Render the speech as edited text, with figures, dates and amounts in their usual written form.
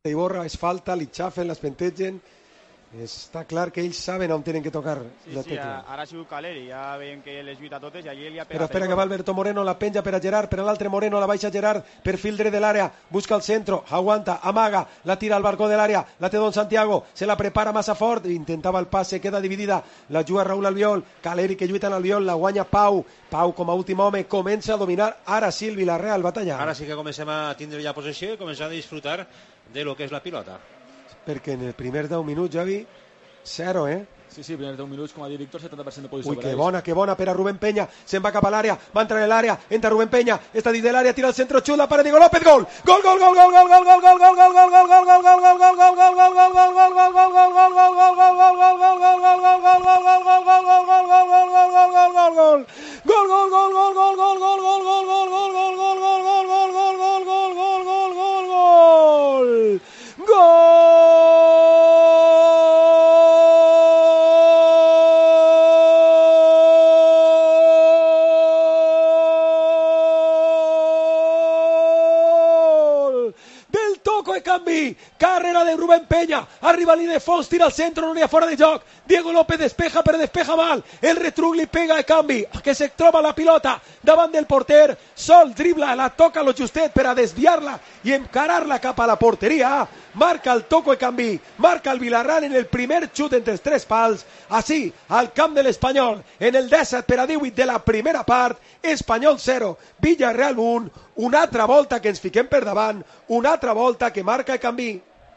Iborra és falta, li xafen, l'espentegen. Està clar que ells saben on tenen que tocar la tecla. Ara ha sigut Caleri, ja veiem que les lluita totes i allí li ha pegat. Però espera que va Alberto Moreno, la penja per a Gerard, per a l'altre Moreno, la baixa Gerard, perfil dret de l'àrea, busca el centro, aguanta, amaga, la tira al balcó de l'àrea, la té Don Santiago, se la prepara massa fort, intentava el passe, queda dividida, la juga Raúl Albiol, Caleri que lluita en Albiol, la guanya Pau com a últim home, comença a dominar ara sí el Villarreal, batalla. Ara sí que comencem a tindre ja possessió i començar a disfrutar de lo que és la pilota. Perquè en el primer 10 minuts, Javi, 0, Sí, primers 10 minuts, com ha dit Víctor, 70% de posició. Ui, que bona per a Rubén Peña, se'n va cap a l'àrea, va entrar en l'àrea, entra Rubén Peña, està dins de l'àrea, tira el centro, xut, la para Diego López, gol! Gol, gol, gol, gol, gol, gol, gol, gol, gol, gol, gol, gol, gol, gol, gol, gol, gol, gol, gol, gol, carrera de Rubén Peña, arriba línia de fons, tira al centre, no n'hi ha fora de joc, Diego López despeja però despeja mal, el retruc li pega de canvi, que se troba la pilota davant del porter, sol dribla, la toca lo justet per a desviar-la i encarar-la cap a la porteria, marca el toco de canvi, marca el Villarreal en el primer xut entre els tres pals, així al camp de l'Espanyol, en el 17 per a 18 de la primera part, Espanyol 0, Villarreal 1, una altra volta que ens fiquem per davant, una altra volta que marca el canvi.